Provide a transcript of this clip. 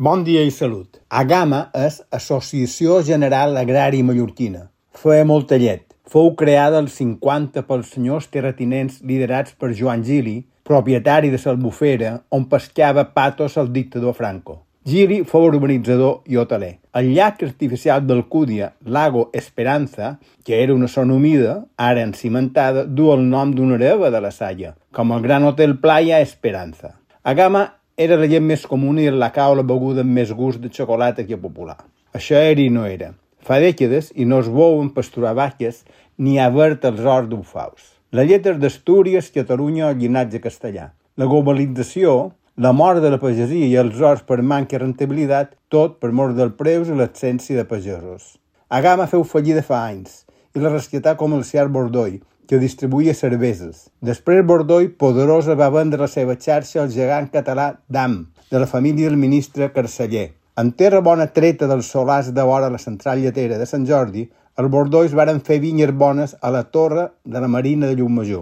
Bon dia i salut. Agama és Associació General Agrària Mallorquina. Feia molta llet. Fou creada als 50 pels senyors terratinents liderats per Joan Gili, propietari de l'Albufera, on pescava patos el dictador Franco. Gili fou urbanitzador i hoteler. El llac artificial d'Alcúdia, Lago Esperanza, que era una zona humida, ara encimentada, du el nom d'una hereva de la Salle, com el gran hotel Playa Esperanza. Agama era la llet més comuna i el lacau la beguda amb més gust de xocolata que popular. Això era i no era. Fa dècades i no es veuen pasturar vaques ni a verd els horts d'ufaus. La llet és d'Astúries, Catalunya o llinatge castellà. La globalització, la mort de la pagesia i els horts per manca de rentabilitat, tot per mort dels preus i l'absència de pagesos. Agama feu fallida fa anys i la rescatà comercial Bordoi, que distribuïa cerveses. Després Bordoi, poderosa, va vendre la seva xarxa al gegant català DAM, de la família del ministre Carceller. En terra bona treta dels solars de vora la central lletera de Sant Jordi, els Bordois varen fer vinyes bones a la torre de la Marina de Llucmajor.